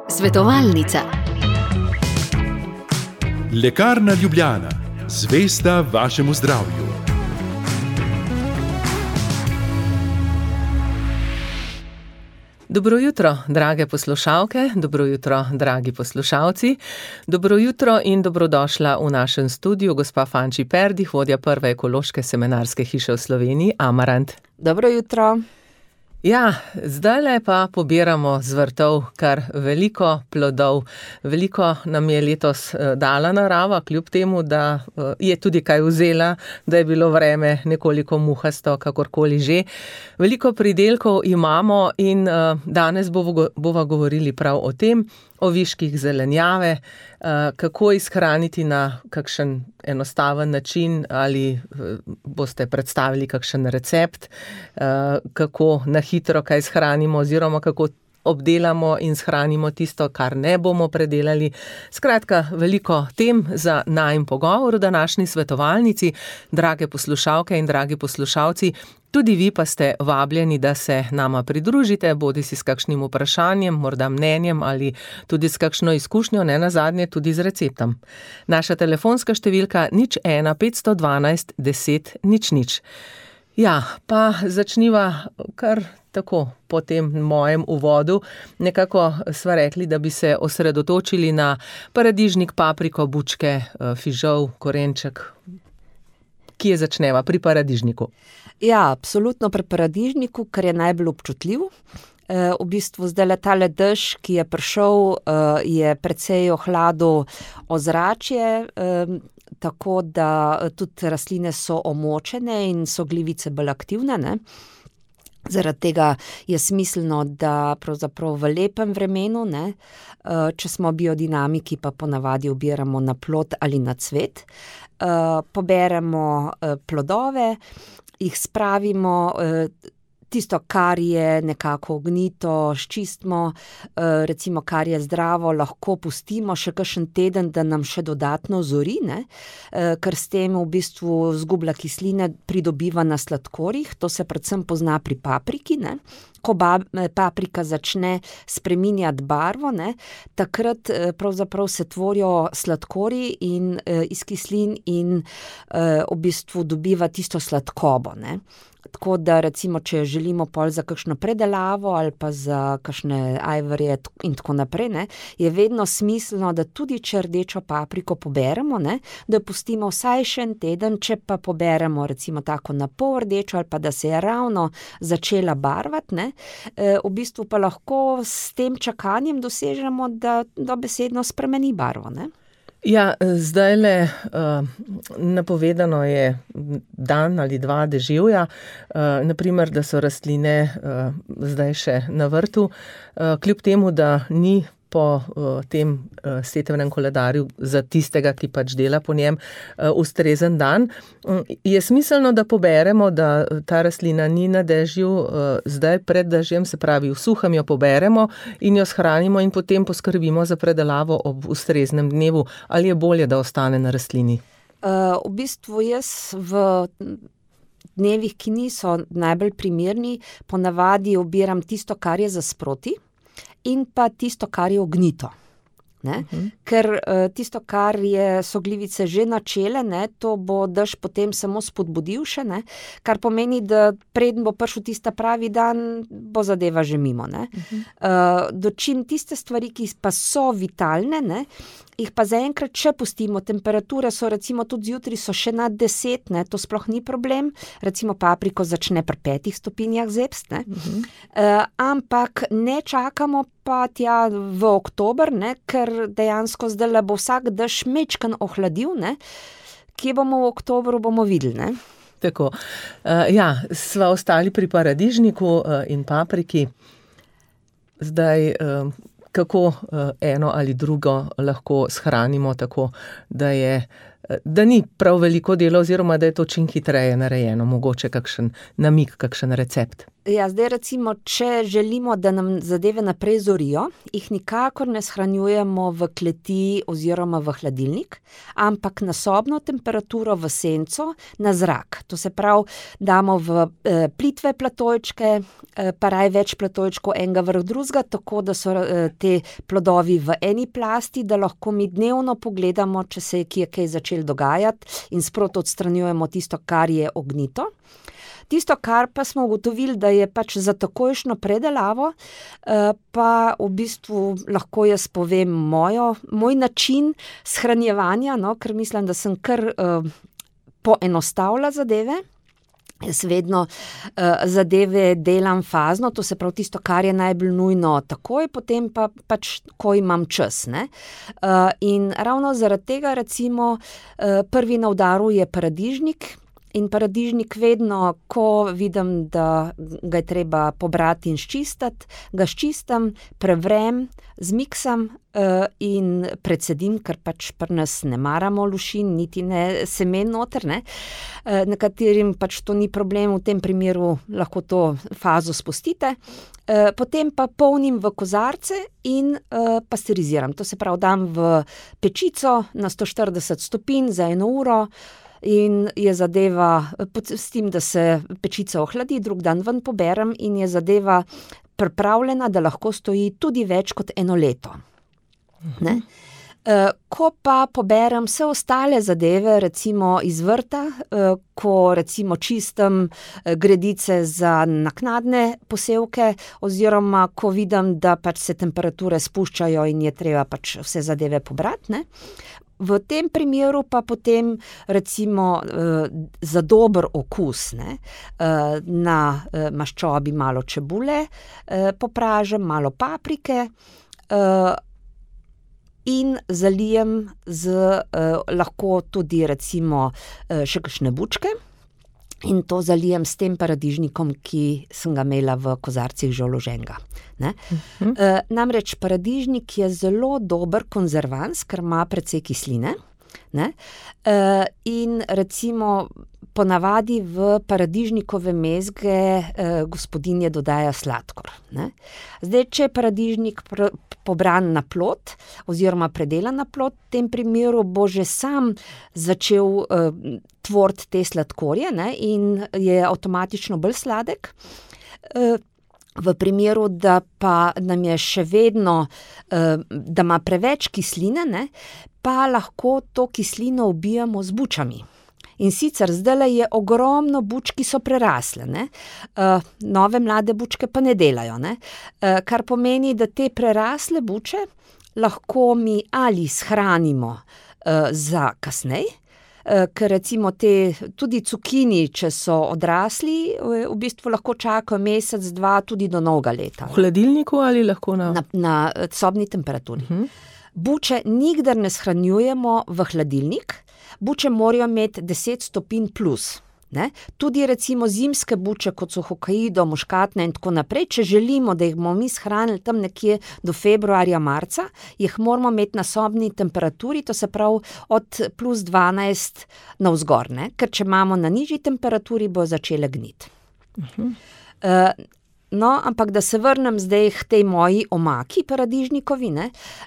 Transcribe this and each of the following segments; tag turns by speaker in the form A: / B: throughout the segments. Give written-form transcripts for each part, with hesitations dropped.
A: Svetovalnica.
B: Lekarna Ljubljana, zvesta vašemu zdravju.
C: Dobro jutro, drage poslušalke, dobro jutro, dragi poslušalci. Dobro jutro in dobrodošla v našem studiu gospa Fanči Perdih, vodja prve ekološke semenarske hiše v Sloveniji, Amarant.
D: Dobro jutro.
C: Ja, zdajle pa pobiramo z vrtov kar veliko plodov. Veliko nam je letos dala narava, kljub temu, da je tudi kaj vzela, da je bilo vreme nekoliko muhasto, kakorkoli že. Veliko pridelkov imamo in danes bova govorili prav o tem, o viških zelenjave, kako izhraniti na kakšen enostaven način ali boste predstavili kakšen recept, kako na hitro kaj shranimo oziroma kako obdelamo in shranimo tisto, kar ne bomo predelali. Skratka, veliko tem za najin pogovor v današnji svetovalnici. Drage poslušalke in dragi poslušalci, tudi vi pa ste vabljeni, da se nama pridružite, bodisi s kakšnim vprašanjem, morda mnenjem ali tudi s kakšno izkušnjo, ne nazadnje tudi z receptom. Naša telefonska številka 01 512 10 00. Ja, pa začniva kar tako po tem mojem uvodu. Nekako sva rekli, da bi se osredotočili na paradižnik, papriko, bučke, fižol, korenček. Kje začneva? Pri paradižniku.
D: Ja, absolutno pri paradižniku, ker je najbolj občutljiv. V bistvu zdaj tale dež, ki je prišel, je precej ohladil ozračje, tako da tudi rastline so omočene in so glivice bolj aktivne, ne. Zaradi tega je smiselno, da pravzaprav v lepem vremenu, ne, če smo biodinamiki, pa ponavadi obiramo na plod ali na cvet, poberemo plodove, jih spravimo, tisto, kar je nekako ognito, sčistimo, recimo, kar je zdravo, lahko pustimo še kakšen teden, da nam še dodatno zori, ne, ker s tem v bistvu zgublja kisline, pridobiva na sladkorjih, to se predvsem pozna pri papriki, ne. Ko paprika začne spreminjati barvo, ne, takrat pravzaprav se tvorijo sladkorji in iz kislin in v bistvu dobiva tisto sladkobo, ne. Tako da recimo, če želimo pol za kakšno predelavo ali pa za kakšne ajvarje in tako naprej, ne, je vedno smiselno, da tudi če rdečo papriko poberemo, ne, da jo pustimo vsaj še en teden, če pa poberemo recimo tako na pol rdečo ali pa da se je ravno začela barvati, ne, v bistvu pa lahko s tem čakanjem dosežemo, da dobesedno spremeni barvo, ne.
C: Ja, zdajle napovedano je dan ali dva deževja, naprimer, da so rastline zdaj še na vrtu, kljub temu, da ni po tem setvnem koledarju za tistega, ki pač dela po njem, ustrezen dan. Je smiselno, da poberemo, da ta rastlina ni na dežju zdaj pred dežjem, se pravi v suhem jo poberemo in jo shranimo in potem poskrbimo za predelavo ob ustreznem dnevu, ali je bolje, da ostane na rastlini?
D: V bistvu jaz v dnevih, ki niso najbolj primerni, ponavadi obiram tisto, kar je za sproti, in pa tisto, kar je ognito, ne. Ker tisto, kar so glivice že načele, ne, to bo dež potem samo spodbudil še, ne, kar pomeni, da preden bo prišel tista pravi dan, bo zadeva že mimo, ne. Dočim tiste stvari, ki pa so vitalne, ne, jih pa zaenkrat še pustimo, temperature so recimo tudi zjutraj so še nad 10, ne, to sploh ni problem, recimo papriko začne pri 5 stopinjah zebst, ne, ampak ne čakamo pa tja v oktober, ne, ker dejansko zdajle bo vsak dež majčkeno ohladil, ne, kje bomo v oktobru, bomo videli, ne.
C: Tako, ja, sva ostali pri paradižniku in papriki. Zdaj, kako eno ali drugo lahko shranimo tako, da je da ni prav veliko dela oziroma da je to čim hitreje narejeno, mogoče kakšen namig, kakšen recept.
D: Ja, zdaj recimo, če želimo, da nam zadeve naprej zorijo, jih nikakor ne shranjujemo v kleti oziroma v hladilnik, ampak na sobno temperaturo v senco, na zrak. To se pravi, damo v plitve platojčke, pa raj več platojčkov enega vrh drugega, tako da so te plodovi v eni plasti, da lahko mi dnevno pogledamo, če se je kaj začelo dogajati in sproti odstranjujemo tisto, kar je ognito. Tisto, kar pa smo ugotovili, da je pač za takojšnjo predelavo, pa v bistvu lahko jaz povem moj način shranjevanja, ker mislim, da sem kar poenostavila zadeve. Jaz vedno zadeve delam fazno, to se pravi tisto, kar je najbolj nujno takoj, potem pa pač, ko imam čas, ne. In ravno zaradi tega recimo prvi na udaru je paradižnik. In paradižnik vedno, ko vidim, da ga je treba pobrati in sčistiti, ga sčistim, prevrem, zmiksam in predsedim, ker pač pri nas ne maramo lušin, niti ne semen noter, ne. Nekaterim pač to ni problem, v tem primeru lahko to fazo spustite. Potem pa polnim v kozarce in pasteriziram. To se pravi, dam v pečico na 140 stopinj za 1 uro, in je zadeva, s tem, da se pečica ohladi, drug dan ven poberem in je zadeva pripravljena, da lahko stoji tudi več kot 1 leto. Ne? Ko pa poberem vse ostale zadeve, recimo iz vrta, ko recimo čistim gredice za naknadne posevke, oziroma ko vidim, da pač se temperature spuščajo in je treba pač vse zadeve pobrati, ne. V tem primeru pa potem recimo za dober okus, ne, na maščobi malo čebule popražim, malo paprike in zalijem lahko tudi recimo še kakšne bučke. In to zalijem s tem paradižnikom, ki sem ga imela v kozarcih že vloženega. Namreč paradižnik je zelo dober konzervans, ker ima precej kisline, ne? In recimo ponavadi v paradižnikove mezge gospodinje dodaja sladkor, ne? Zdaj, če je paradižnik pobran na plot oziroma predelan na plot, v tem primeru bo že sam začel tvoriti te sladkorje, ne, in je avtomatično bolj sladek. V primeru, da pa nam je še vedno, da ima preveč kisline, ne, pa lahko to kislino ubijamo z bučami. In sicer zdajle je ogromno buč, ki so prerasle, ne. Nove mlade bučke pa ne delajo, ne. Kar pomeni, da te prerasle buče lahko mi ali shranimo za kasneje, ker recimo tudi cukini, če so odrasli, v bistvu lahko čakajo mesec, 2, tudi do novega leta.
C: V hladilniku ali lahko
D: na sobni temperaturi. Buče nikdar ne shranjujemo v hladilnik, buče morajo imeti 10 stopinj plus. Ne? Tudi recimo zimske buče, kot so hokaido, muškatne in tako naprej, če želimo, da jih bomo mi shranili tam nekje do februarja, marca, jih moramo imeti na sobni temperaturi, to se pravi od plus 12 navzgor, ne? Ker če imamo na nižji temperaturi, bo začele gniti. No, ampak da se vrnem zdaj k tej moji omaki paradižnikovi, ne.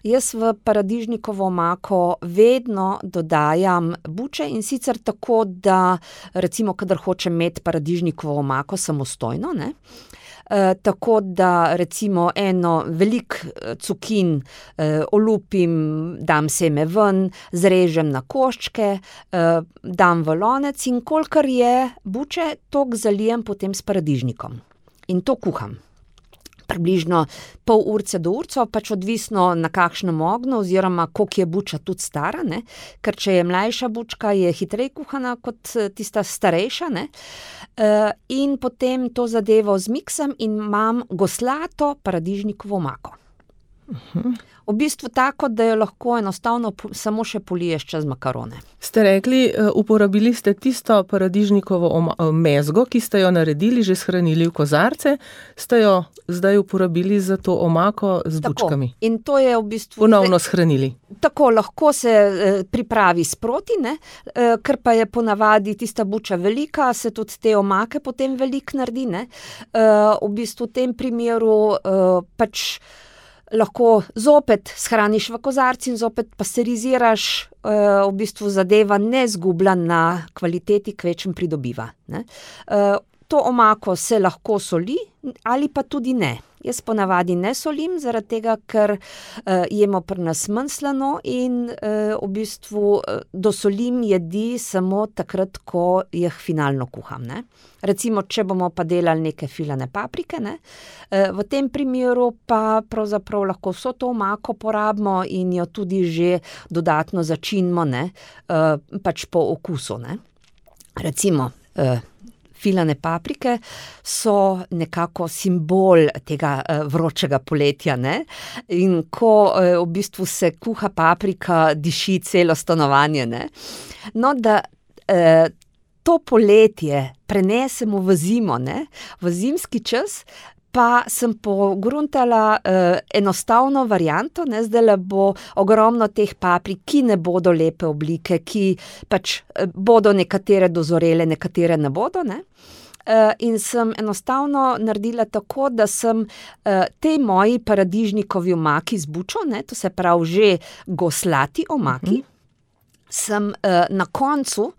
D: Jaz v paradižnikovo omako vedno dodajam buče, in sicer tako, da recimo, kadar hočem imeti paradižnikovo omako samostojno, ne, tako da recimo velik cukin olupim, dam seme ven, zrežem na koščke, dam v lonec in kolikor je buče, toliko zalijem potem s paradižnikom. In to kuham. Približno pol urce do urco, pač odvisno na kakšnem ognju oziroma koliko je buča tudi stara, ne, ker če je mlajša bučka, je hitreje kuhana kot tista starejša, ne. In potem to zadevo zmiksam in imam goslato paradižnikovo omako. V bistvu tako, da jo lahko enostavno samo še poliješ čez makarone.
C: Ste rekli, uporabili ste tisto paradižnikovo mezgo, ki ste jo naredili, že shranili v kozarce, ste jo zdaj uporabili za to omako z bučkami.
D: In to je v bistvu...
C: Ponovno shranili.
D: Tako, lahko se pripravi sproti, ne? Ker pa je ponavadi tista buča velika, se tudi te omake potem veliko naredi, ne? V bistvu v tem primeru pač lahko zopet shraniš v kozarci in zopet pasteriziraš, v bistvu zadeva ne zgublja na kvaliteti, kvečem pridobiva, ne. To omako se lahko soli ali pa tudi ne. Jaz ponavadi ne solim, zaradi tega, ker jemo pri nas manj slano in v bistvu dosolim jedi samo takrat, ko jih finalno kuham, ne. Recimo, če bomo pa delali neke filane paprike, ne, v tem primeru pa pravzaprav lahko vso to omako porabimo in jo tudi že dodatno začinimo, ne, pač po okusu, ne. Recimo, filane paprike so nekako simbol tega vročega poletja, ne? In ko v bistvu se kuha paprika, diši celo stanovanje, ne? No, da to poletje prenesemo v zimo, ne? V zimski čas, pa sem pogruntala enostavno varianto, ne, zdajle bo ogromno teh paprik, ki ne bodo lepe oblike, ki pač bodo nekatere dozorele, nekatere ne bodo, ne. In sem enostavno naredila tako, da sem tej moji paradižnikovi omaki z bučo, ne, to se pravi že goslati omaki, sem na koncu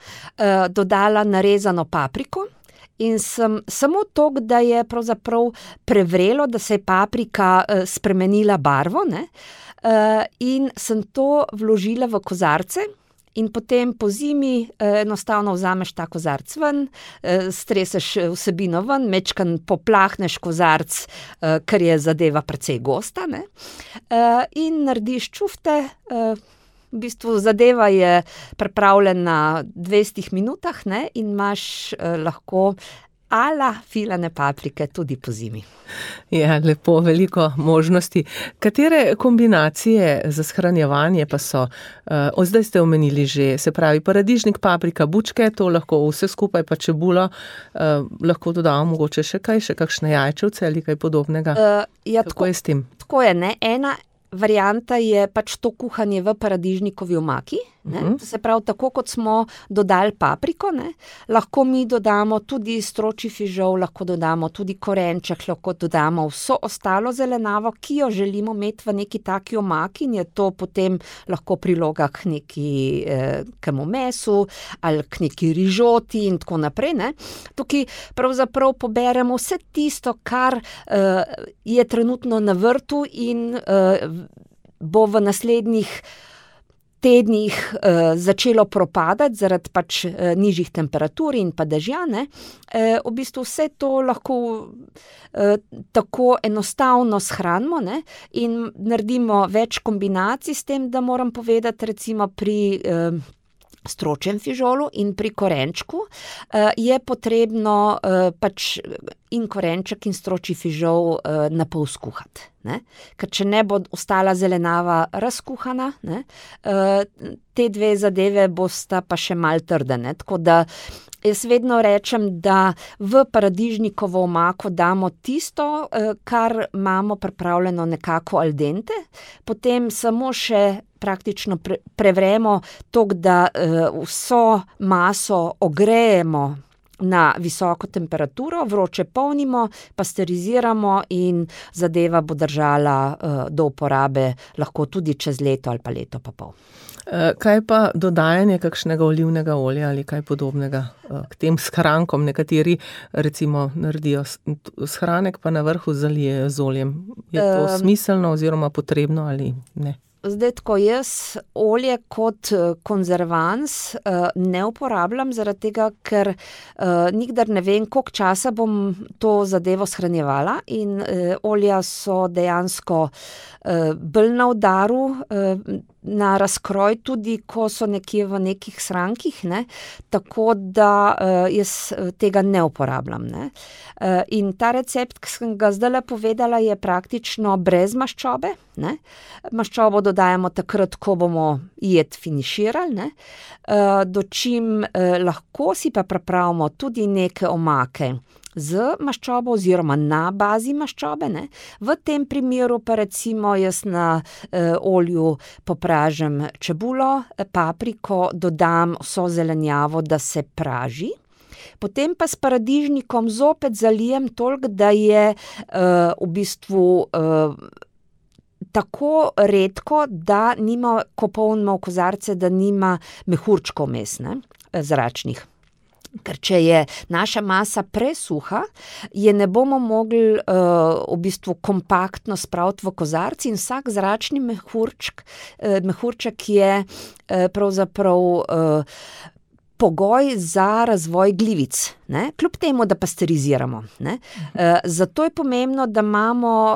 D: dodala narezano papriko, in sem samo toliko, da je pravzaprav prevrelo, da se je paprika spremenila barvo, ne, in sem to vložila v kozarce in potem po zimi enostavno vzameš ta kozarc ven, streseš vsebino ven, majčkeno poplahneš kozarc, ker je zadeva precej gosta, ne, in narediš čufte. V bistvu zadeva je pripravljena v 20 minutah, ne, in imaš lahko ala filane paprike tudi po zimi.
C: Ja, lepo, veliko možnosti. Katere kombinacije za shranjevanje pa so? Zdaj ste omenili že, se pravi, paradižnik, paprika, bučke, to lahko vse skupaj, pa čebulo, lahko dodamo mogoče še kaj, še kakšne jajčevce ali kaj podobnega.
D: Ja,
C: kako je s tem?
D: Tako je, ne, ena varianta je pač to kuhanje v paradižnikovi omaki, ne, to se pravi, tako kot smo dodali papriko, ne, lahko mi dodamo tudi stročji fižol, lahko dodamo tudi korenček, lahko dodamo vso ostalo zelenjavo, ki jo želimo imeti v neki taki omaki, in je to potem lahko priloga k nekemu mesu ali k neki rižoti in tako naprej, ne. Tukaj pravzaprav poberemo vse tisto, kar je trenutno na vrtu in bo v naslednjih tednih začelo propadati zaradi pač nižjih temperatur in pa dežja, ne. V bistvu vse to lahko tako enostavno shranimo, ne, in naredimo več kombinacij s tem, da moram povedati, recimo pri stročjem fižolu in pri korenčku je potrebno pač in korenček in stročji fižol na pol skuhati, ne. Ker če ne bo ostala zelenjava razkuhana, ne, te dve zadeve bosta pa še malo trde, ne, tako da jaz vedno rečem, da v paradižnikovo omako damo tisto, kar imamo pripravljeno nekako al dente, potem samo še praktično prevremo toliko, da vso maso ogrejemo na visoko temperaturo, vroče polnimo, pasteriziramo in zadeva bo držala do uporabe lahko tudi čez leto ali pa leto pa pol.
C: Kaj pa dodajanje kakšnega olivnega olja ali kaj podobnega k tem shrankom? Nekateri recimo naredijo shranek, pa na vrhu zalijejo z oljem. Je to smiselno oziroma potrebno ali ne?
D: Zdaj tako, jaz olje kot konzervans ne uporabljam, zaradi tega, ker nikdar ne vem, koliko časa bom to zadevo shranjevala, in olja so dejansko bolj na udaru, na razkroj tudi, ko so nekje v nekih shrankih, ne, tako da jaz tega ne uporabljam, ne. In ta recept, ki sem ga zdajle povedala, je praktično brez maščobe, ne. Maščobo dodajamo takrat, ko bomo jed finiširali, ne. Dočim lahko si pa pripravimo tudi neke omake z maščobo oziroma na bazi maščobe, ne. V tem primeru pa recimo jaz na olju popražim čebulo, papriko, dodam vso zelenjavo, da se praži. Potem pa s paradižnikom zopet zalijem toliko, da je v bistvu tako redko, da nima, ko polnimo v kozarce, da nima mehurčkov vmes, ne, zračnih. Ker če je naša masa presuha, je ne bomo mogli v bistvu kompaktno spraviti v kozarci in vsak zračni mehurček je pravzaprav pogoj za razvoj glivic, ne, kljub temu, da pasteriziramo, ne. Zato je pomembno, da imamo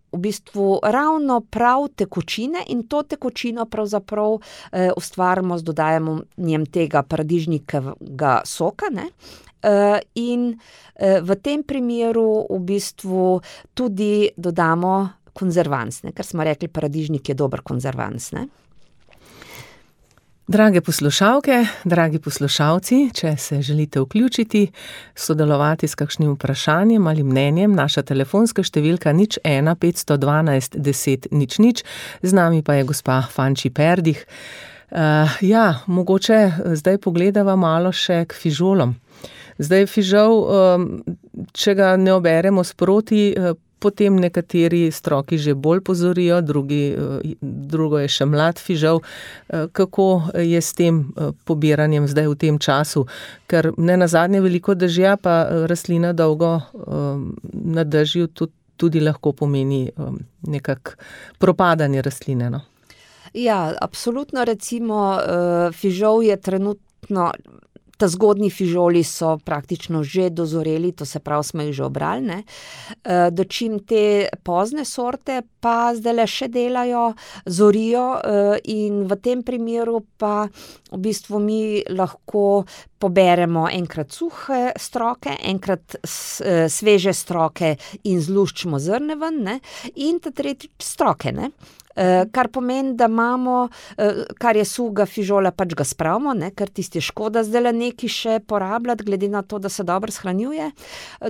D: v bistvu ravno prav tekočine in to tekočino pravzaprav ustvarimo z dodajanjem tega paradižnikovega soka, ne. In v tem primeru v bistvu tudi dodamo konzervans, ne, ker smo rekli, paradižnik je dober konzervans, ne.
C: Drage poslušalke, dragi poslušalci, če se želite vključiti, sodelovati s kakšnim vprašanjem ali mnenjem, naša telefonska številka 01 512 10 00, z nami pa je gospa Fanči Perdih. Mogoče zdaj pogledava malo še k fižolom. Zdaj fižol, če ga ne oberemo sproti, potem nekateri stroki že bolj pozorijo, drugo je še mlad fižol. Kako je s tem pobiranjem zdaj v tem času? Ker nenazadnje veliko dežja, pa rastlina dolgo na dežju tudi lahko pomeni nekako propadanje rastline, no?
D: Ja, absolutno, recimo fižol je trenutno, ta zgodnji fižoli so praktično že dozoreli, to se pravi, smo jih že obrali, ne. Dočim te pozne sorte pa zdajle še delajo, zorijo in v tem primeru pa v bistvu mi lahko poberemo enkrat suhe stroke, enkrat sveže stroke in zluščimo zrne ven, ne, in ta tretjič stroke, ne. Kar pomeni, da imamo, kar je suhega fižola, pač ga spravimo, ne, ker tisti je škoda zdajle nekaj še porabljati, glede na to, da se dobro shranjuje.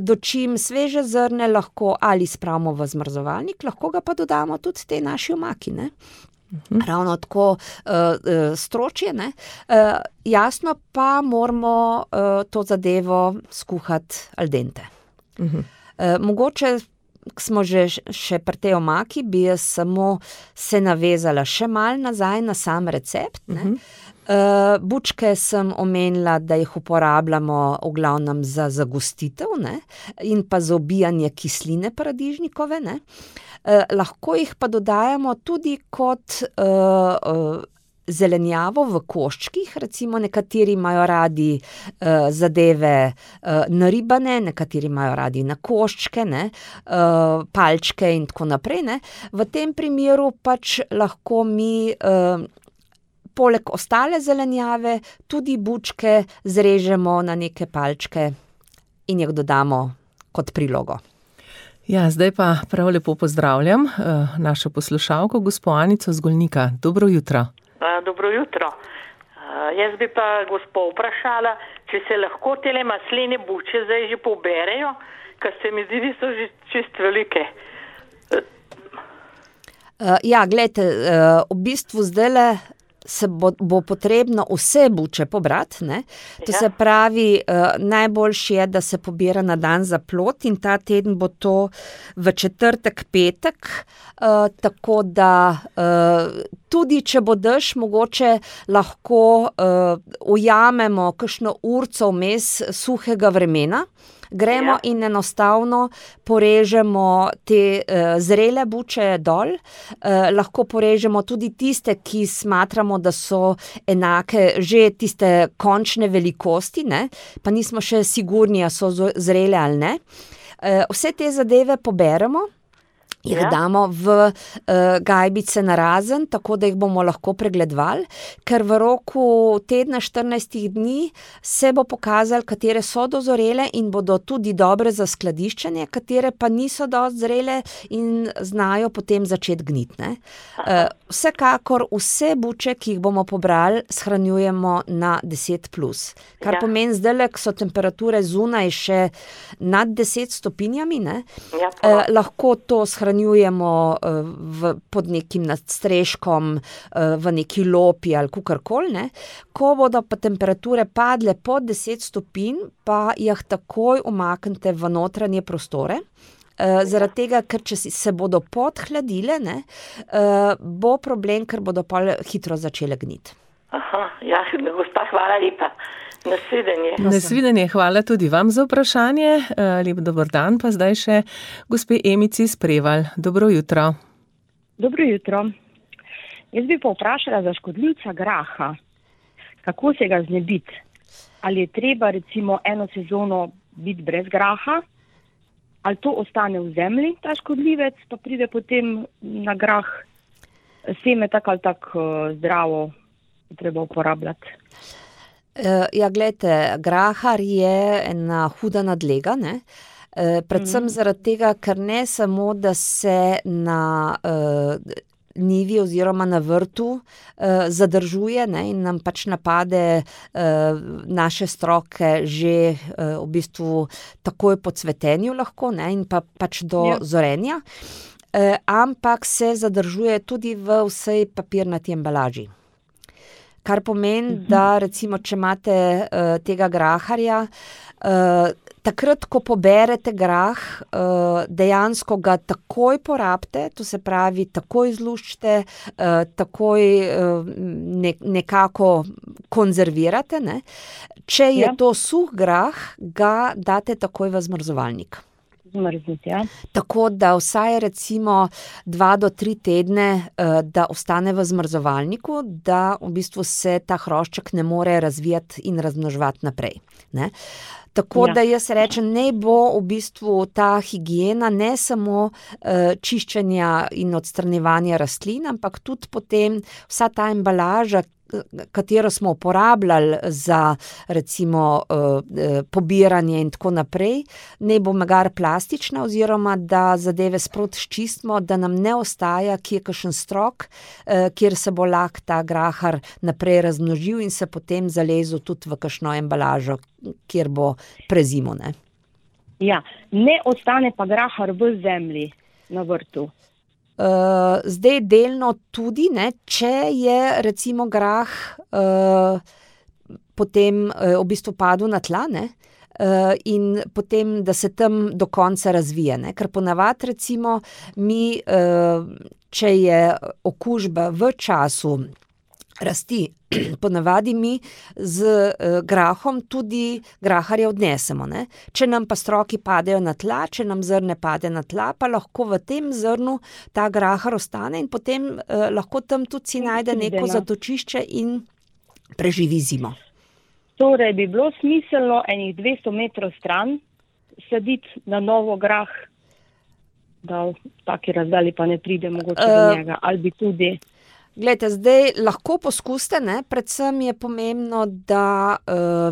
D: Dočim sveže zrne lahko ali spravimo v zmrzovalnik, lahko ga pa dodamo tudi tej naši omaki, ne. Ravno tako stročje, ne. Jasno pa moramo to zadevo skuhati al dente. Mogoče, ko smo še pri tej omaki, bi jaz samo se navezala še malo nazaj na sam recept, ne. Bučke sem omenila, da jih uporabljamo v glavnem za zagostitev, ne, in pa za ubijanje kisline paradižnikove, ne. Lahko jih pa dodajamo tudi kot zelenjavo v koščkih, recimo nekateri imajo radi zadeve naribane, nekateri imajo radi na koščke, ne, palčke in tako naprej, ne. V tem primeru pač lahko mi poleg ostale zelenjave tudi bučke zrežemo na neke palčke in jih dodamo kot prilogo.
C: Ja, zdaj pa prav lepo pozdravljam našo poslušalko, gospo Anico z Golnika. Dobro jutro.
A: Dobro jutro. Jaz bi pa gospo vprašala, če se lahko tele maslene buče zdaj že poberejo, ker se mi zdi, da so že čist velike.
D: Ja, glejte, v bistvu zdajle se bo potrebno vse buče pobrati, ne. To se pravi, najboljše je, da se pobira na dan za plod in ta teden bo to v četrtek, petek, tako da tudi če bo dež, mogoče lahko ujamemo kakšno urico vmes suhega vremena, gremo in enostavno porežemo te zrele buče dol, lahko porežemo tudi tiste, ki smatramo, da so enake, že tiste končne velikosti, ne, pa nismo še sigurni, a so zrele ali ne. Vse te zadeve poberemo jih damo v gajbice narazen, tako da jih bomo lahko pregledovali, ker v roku tedna 14 dni se bo pokazalo, katere so dozorele in bodo tudi dobre za skladiščenje, katere pa niso dosti zrele in znajo potem začeti gniti, ne. Vsekakor vse buče, ki jih bomo pobrali, shranjujemo na 10+, kar pomeni zdajle, ko so temperature zunaj še nad 10 stopinjami, ne, lahko to shranjujemo pod nekim nadstreškom, v neki lopi ali kakorkoli, ne. Ko bodo pa temperature padle pod 10 stopinj, pa jih takoj umaknite v notranje prostore, zaradi tega, ker če se bodo podhladile, ne, bo problem, ker bodo pol hitro začele gniti.
A: Gospa, hvala lepa. Nasvidenje.
C: Nasvidenje, hvala tudi vam za vprašanje. Lep dober dan, pa zdaj še gospe Emici iz Prevalj. Dobro jutro.
E: Dobro jutro. Jaz bi pa vprašala za škodljivca graha. Kako se ga znebiti? Ali je treba recimo eno sezono biti brez graha? Ali to ostane v zemlji, ta škodljivec, pa pride potem na grah seme tako ali tako zdravo, treba uporabljati?
D: Ja, glejte, grahar je ena huda nadlega, ne. Predvsem zaradi tega, ker ne samo, da se na njivi oziroma na vrtu zadržuje, ne, in nam pač napade naše stroke že v bistvu takoj po cvetenju lahko, ne, in pa pač do zorenja, ampak se zadržuje tudi v vsej papirnati embalaži. Kar pomeni, da recimo, če imate tega graharja, takrat, ko poberete grah, dejansko ga takoj porabite, to se pravi, takoj zluščite, takoj nekako konzervirate, ne. Če je to suh grah, ga date takoj v zmrzovalnik.
E: Zmrzniti, ja.
D: Tako da vsaj recimo 2 do 3 tedne, da ostane v zmrzovalniku, da v bistvu se ta hrošček ne more razvijati in razmnoževati naprej, ne. Tako da jaz rečem, naj bo v bistvu ta higiena ne samo čiščenja in odstranjevanja rastlin, ampak tudi potem vsa ta embalaža, katero smo uporabljali za recimo pobiranje in tako naprej, naj bo magari plastična oziroma da zadeve sproti sčistimo, da nam ne ostaja kje kakšen strok, kjer se bo lahko ta grahar naprej razmnožil in se potem zalezel tudi v kakšno embalažo, kjer bo prezimo, ne.
E: Ja, ne ostane pa grahar v zemlji na vrtu.
D: Zdaj delno tudi, ne, če je recimo grah potem v bistvu padel na tla, ne, in potem, da se tam do konca razvije, ne, ker ponavadi recimo mi, če je okužba v času rasti, ponavadi mi z grahom tudi graharje odnesemo, ne. Če nam pa stroki padejo na tla, če nam zrne pade na tla, pa lahko v tem zrnu ta grahar ostane in potem lahko tam tudi si najde neko zatočišče in preživi zimo.
E: Torej bi bilo smiselno enih 200 metrov stran saditi na novo grah, da v taki razdalji pa ne pride mogoče do njega, ali bi tudi...
D: Glejte, zdaj lahko poskusite, ne, predvsem je pomembno, da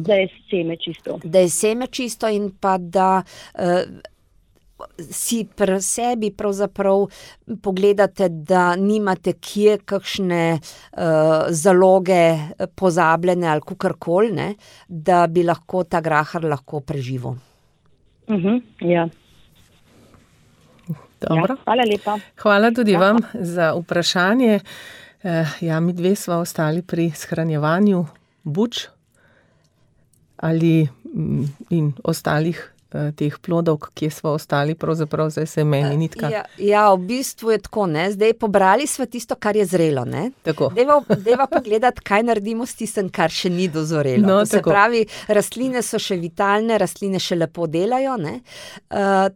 E: je seme čisto.
D: Da je seme čisto in pa da si pri sebi pravzaprav pogledate, da nimate kje kakšne zaloge pozabljene ali kakorkoli, ne, da bi lahko ta grahar lahko preživel.
E: Ja.
C: Dobro.
E: Ja, hvala lepa.
C: Hvala tudi vam za vprašanje. Ja, mi dve sva ostali pri shranjevanju buč ali in ostalih teh plodov, kje sva ostali, pravzaprav zdaj se meni nitka.
D: Ja, v bistvu je tako, ne, zdaj pobrali sva tisto, kar je zrelo, ne.
C: Tako.
D: Deva pogledati, kaj naredimo s tistem, kar še ni dozorelo.
C: No,
D: to se pravi, rastline so še vitalne, rastline še lepo delajo, ne.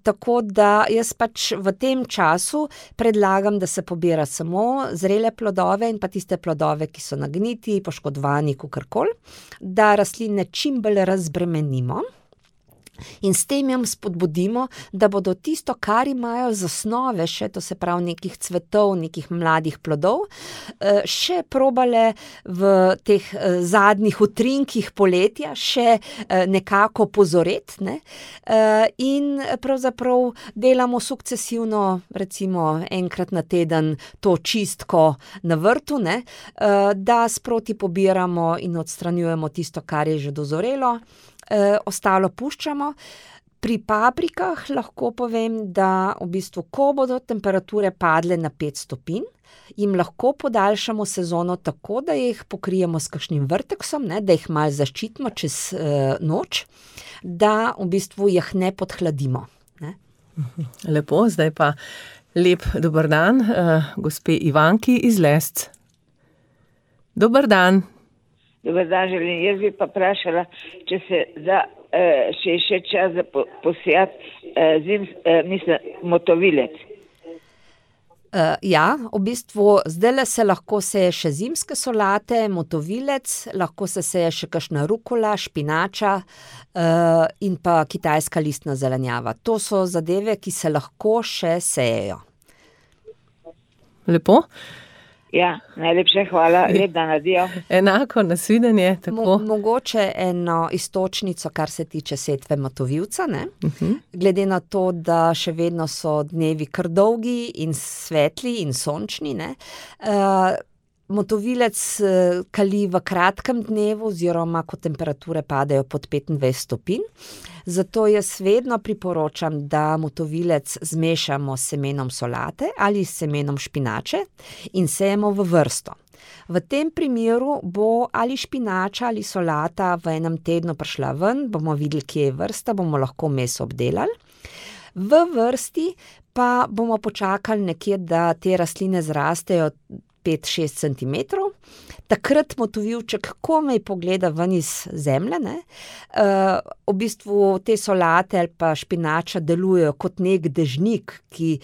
D: Tako da jaz pač v tem času predlagam, da se pobira samo zrele plodove in pa tiste plodove, ki so nagniti, poškodovani, kakorkoli, da rastline čim bolj razbremenimo. In s tem jim spodbudimo, da bodo tisto, kar imajo z osnove še, to se pravi nekih cvetov, nekih mladih plodov, še probale v teh zadnjih utrinkih poletja še nekako pozoreti, ne? In pravzaprav delamo sukcesivno, recimo enkrat na teden to čistko na vrtu, ne? Da sproti pobiramo in odstranjujemo tisto, kar je že dozorelo. Ostalo puščamo. Pri paprikah lahko povem, da v bistvu, ko bodo temperature padle na 5 stopinj, jim lahko podaljšamo sezono tako, da jih pokrijemo s kakšnim vrteksom, ne, da jih malo zaščitimo čez noč, da v bistvu jih ne podhladimo. Ne.
C: Lepo, zdaj pa lep dober dan, gospe Ivanki iz Lesc. Dober dan.
F: Dobar dan, želim. Jaz bi pa vprašala, če se da še čas za posijati motovilec.
D: Ja, v bistvu zdajle se lahko seje še zimske solate, motovilec, lahko se seje še kakšna rukola, špinača in pa kitajska listna zelenjava. To so zadeve, ki se lahko še sejejo.
C: Lepo.
F: Ja, najlepše hvala, lep dan, adijo.
C: Enako, nasvidenje, tako.
D: Mogoče eno iztočnico, kar se tiče setve motovilca, ne? Glede na to, da še vedno so dnevi kar dolgi in svetli in sončni, ne? Motovilec kali v kratkem dnevu oziroma, ko temperature padajo pod 25 stopinj. Zato jaz vedno priporočam, da motovilec zmešamo s semenom solate ali s semenom špinače in sejemo v vrsto. V tem primeru bo ali špinača ali solata v enem tednu prišla ven, bomo videli, kje je vrsta, bomo lahko meso obdelali. V vrsti pa bomo počakali nekje, da te rastline zrastejo 5-6 centimetrov. Takrat motovilček komaj pogleda ven iz zemlje, ne. V bistvu te solate ali pa špinača delujejo kot nek dežnik, ki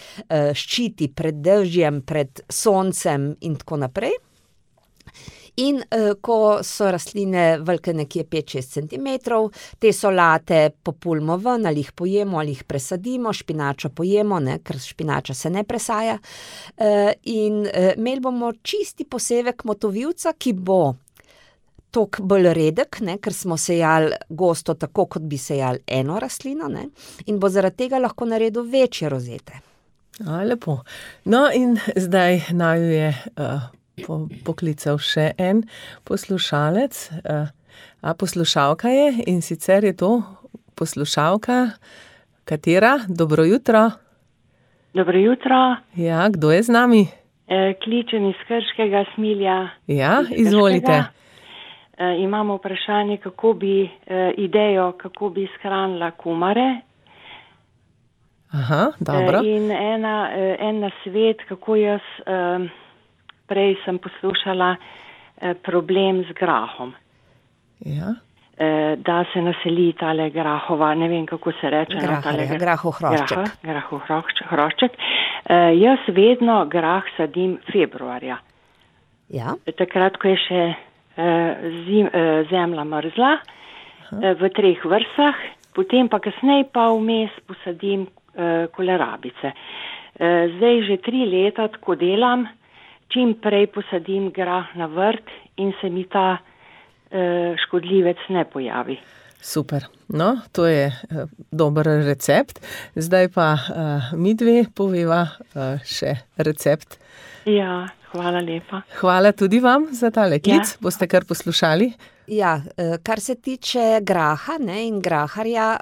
D: ščiti pred dežjem, pred soncem in tako naprej. In ko so rastline velike nekje 5-6 centimetrov, te solate populimo ven, ali jih pojemo, ali jih presadimo, špinačo pojemo, ne, ker špinača se ne presaja. In imeli bomo čisti posevek motovilca, ki bo toliko bolj redek, ne, ker smo sejali gosto tako, kot bi sejali eno rastlino, ne, in bo zaradi tega lahko naredil večje rozete.
C: Lepo. No in zdaj naju je poklical še en poslušalec, poslušalka je, in sicer je to poslušalka, katera? Dobro jutro.
G: Dobro jutro.
C: Ja, kdo je z nami?
G: Kličem iz Krškega, Smilja.
C: Ja, izvolite.
G: Imamo vprašanje, kako bi kako bi shranila kumare.
C: Aha, dobro.
G: In en nasvet, kako jaz prej sem poslušala problem z grahom.
C: Ja.
G: Da se naseli tale grahova, ne vem, kako se reče.
D: Grahohrošček.
G: Grahohrošček. Jaz vedno grah sadim februarja.
D: Ja.
G: Takrat, ko je še zemlja mrzla, v 3 vrstah, potem pa kasneje pa vmes posadim kolerabice. Zdaj že 3 leta tako delam, čim prej posadim grah na vrt in se mi ta škodljivec ne pojavi.
C: Super. No, to je dober recept. Zdaj pa midve poveva še recept.
G: Ja, hvala lepa.
C: Hvala tudi vam za tale klic. Ja. Boste kar poslušali?
D: Ja, kar se tiče graha, ne, in graharja,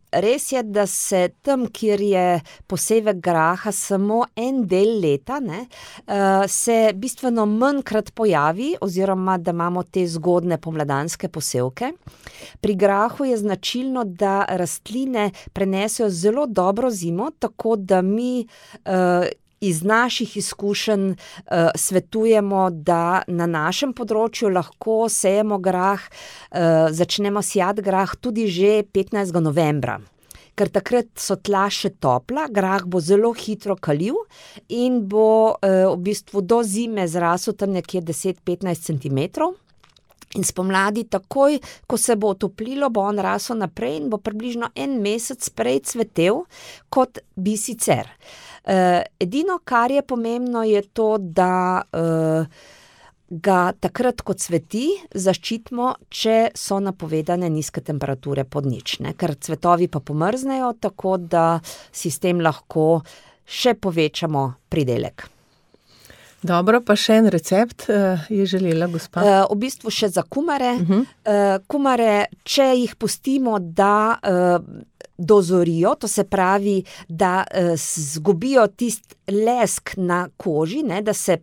D: res je, da se tam, kjer je posevek graha samo en del leta, ne, se bistveno manjkrat pojavi, oziroma da imamo te zgodne pomladanske posevke. Pri grahu je značilno, da rastline prenesejo zelo dobro zimo, tako da mi iz naših izkušenj svetujemo, da na našem področju lahko sejemo grah, začnemo sijati grah tudi že 15. novembra. Ker takrat so tla še topla, grah bo zelo hitro kalil in bo v bistvu do zime zrasel tam nekje 10-15 centimetrov. In spomladi takoj, ko se bo otoplilo, bo on rasel naprej in bo približno 1 mesec prej cvetel, kot bi sicer. Edino, kar je pomembno, je to, da ga takrat, ko cveti, zaščitimo, če so napovedane nizke temperature pod nič, ne? Ker cvetovi pa pomrznejo, tako da si s tem lahko še povečamo pridelek.
C: Dobro, pa še en recept je želela gospa.
D: V bistvu še za kumare. Kumare, če jih pustimo, da dozorijo, to se pravi, da zgubijo tist lesk na koži, ne, da se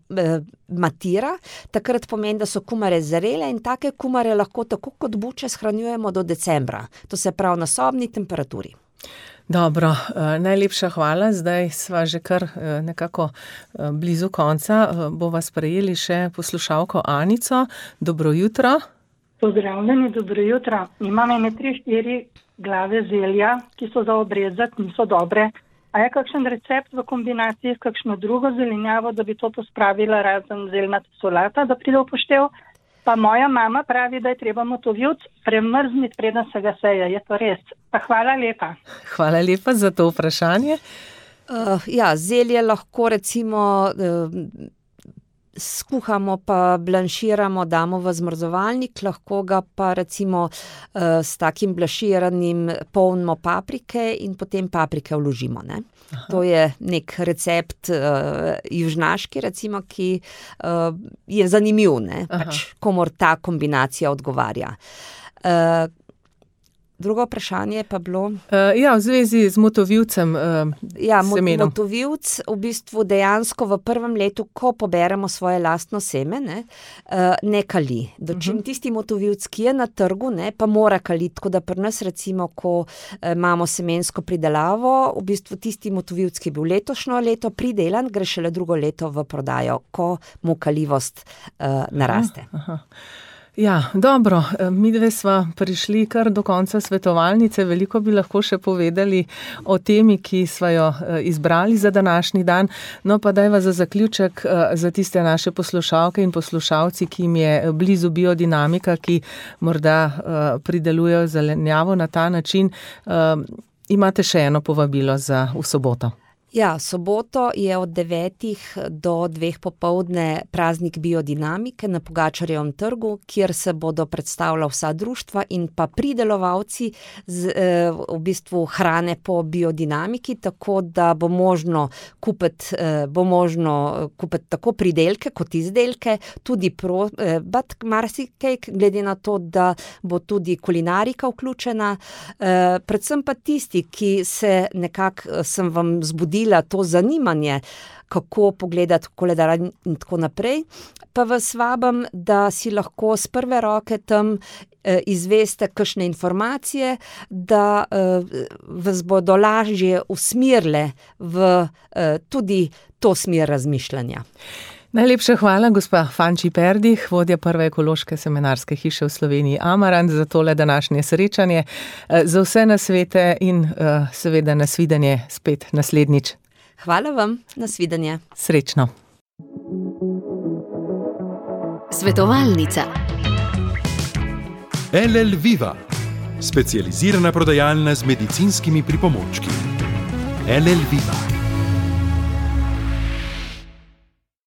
D: matira, takrat pomeni, da so kumare zrele in take kumare lahko tako kot buče shranjujemo do decembra. To se pravi na sobni temperaturi.
C: Dobro, najlepša hvala. Zdaj sva že kar nekako blizu konca. Bova sprejeli še poslušalko Anico. Dobro jutro.
H: Pozdravljeni, dobro jutro. Imam 3-4 glave zelja, ki so za obrezati, niso dobre. A je kakšen recept v kombinaciji s kakšno drugo zelenjavo, da bi to pospravila razen zeljnata solata, da pride v poštev? Pa moja mama pravi, da je treba motovilc premrzniti, preden se ga seje. Je to res? Pa hvala lepa.
C: Hvala lepa za to vprašanje.
D: Zelje lahko recimo skuhamo pa blanširamo, damo v zmrzovalnik, lahko ga pa recimo s takim blanširanim polnimo paprike in potem paprike vložimo, ne. To je nek recept južnaški, recimo, ki je zanimiv, ne, pač komor ta kombinacija odgovarja. Drugo vprašanje pa bilo?
C: V zvezi z motovilcem semenom.
D: Motovilc v bistvu dejansko v prvem letu, ko poberemo svoje lastno seme, ne kali. Dočim tisti motovilc, ki je na trgu, ne, pa mora kaliti, tako da pri nas recimo, ko imamo semensko pridelavo, v bistvu tisti motovilc, ki je bil letošnjo leto pridelan, gre šele drugo leto v prodajo, ko mu kalivost naraste.
C: Ja, dobro, midve sva prišli kar do konca svetovalnice, veliko bi lahko še povedali o temi, ki sva jo izbrali za današnji dan, no pa dajva za zaključek za tiste naše poslušalke in poslušalci, ki jim je blizu biodinamika, ki morda pridelujejo zelenjavo na ta način, imate še eno povabilo za v soboto.
D: Ja, soboto je od 9 do 2 popoldne praznik biodinamike na Pogačarjevem trgu, kjer se bodo predstavila vsa društva in pa pridelovalci v bistvu hrane po biodinamiki, tako da bo možno kupiti tako pridelke kot izdelke, tudi marsikaj, glede na to, da bo tudi kulinarika vključena. Predvsem pa tisti, ki se nekako sem vam zbudila to zanimanje, kako pogledati koledar in tako naprej, pa vas vabim, da si lahko z prve roke tam izveste kakšne informacije, da vas bodo lažje usmerile v tudi to smer razmišljanja.
C: Najlepša hvala, gospa Fanči Perdih, vodja prve ekološke semenarske hiše v Sloveniji Amarant, za tole današnje srečanje, za vse nasvete in seveda nasvidenje spet naslednjič.
D: Hvala vam, nasvidenje.
C: Srečno.
I: Svetovalnica.
B: LL Viva, specializirana prodajalna z medicinskimi pripomočki. LL Viva.